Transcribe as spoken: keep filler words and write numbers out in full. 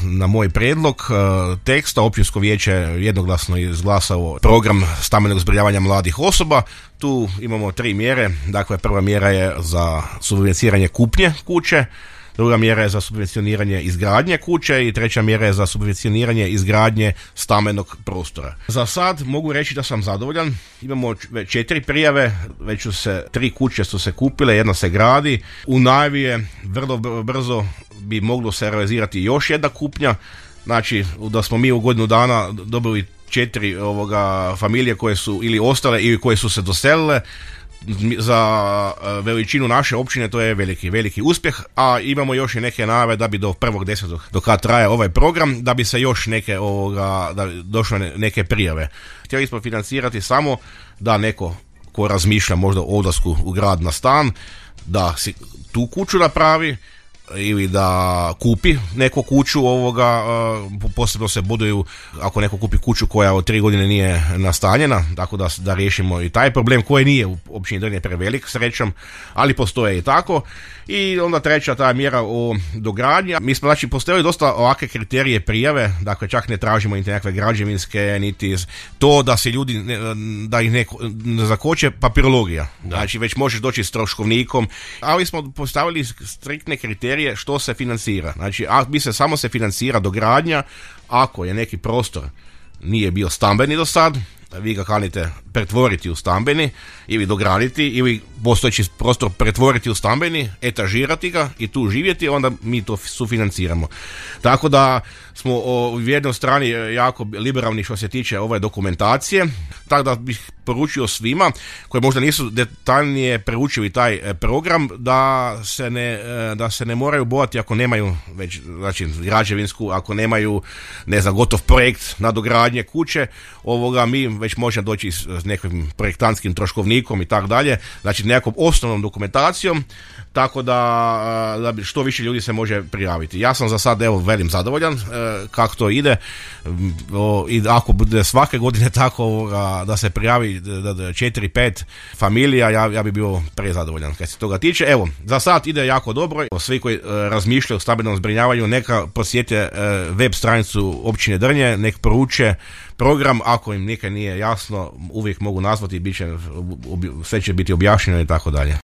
na moj prijedlog teksta općinsko vijeće jednoglasno izglasalo program stambenog zbrinjavanja mladih osoba. Tu imamo tri mjere. Dakle, prva mjera je za subvencioniranje kupnje kuće, druga mjera je za subvencioniranje izgradnje kuće i treća mjera je za subvencioniranje izgradnje stambenog prostora. Za sad mogu reći da sam zadovoljan. Imamo četiri prijave, već su se tri kuće su se kupile, jedna se gradi. U najavi je vrlo brzo bi moglo se realizirati još jedna kupnja. Znači da smo mi u godinu dana dobili četiri ovoga familije koje su ili ostale ili koje su se doselile. Za veličinu naše općine to je veliki, veliki uspjeh, a imamo još i neke najave da bi do prvog desetog do kad traje ovaj program, da bi se još neke ovoga, da došle neke prijave. Htjeli smo financirati samo da neko ko razmišlja možda o odlasku u grad na stan, da si tu kuću napravi ili da kupi neku kuću ovoga, posebno se boduju ako neko kupi kuću koja od tri godine nije nastanjena, tako da, da riješimo i taj problem koji nije u općini Drnje prevelik srećom, ali postoje i tako. I onda treća ta mjera o dogradnji. Mi smo znači postavili dosta ovakve kriterije prijave, dakle čak ne tražimo niti nekakve građevinske, niti to da se ljudi, da ih neko ne zakoče papirologija. Da. Znači već možeš doći s troškovnikom, ali smo postavili striktne kriterije što se financira. Znači a mi se samo se financira dogradnja ako je neki prostor nije bio stambeni do sad, vi ga kanite pretvoriti u stambeni ili dograditi ili postojeći prostor pretvoriti u stambeni, etažirati ga i tu živjeti, onda mi to sufinanciramo. Tako da smo u jednoj strani jako liberalni što se tiče ove dokumentacije, tako da bih poručio svima koji možda nisu detaljnije preučili taj program da se ne, da se ne moraju bojati ako nemaju već znači građevinsku, ako nemaju ne znam gotov projekt nadogradnje kuće, ovoga mi već možemo doći s nekim projektantskim troškovnikom i tako dalje, znači nekakvom osnovnom dokumentacijom, tako da, da što više ljudi se može prijaviti. Ja sam za sad evo velim zadovoljan e, kako to ide o, i ako bude svake godine tako a, da se prijavi četiri pet familija, ja, ja bi bio prezadovoljan kad se toga tiče. Evo, za sad ide jako dobro. Svi koji e, razmišljaju o stambenom zbrinjavanju neka posjete e, web stranicu općine Drnje, nek poruče program, ako im nikad nije jasno uvijek mogu nazvati, bit će, sve će biti objašnjeno i tako dalje.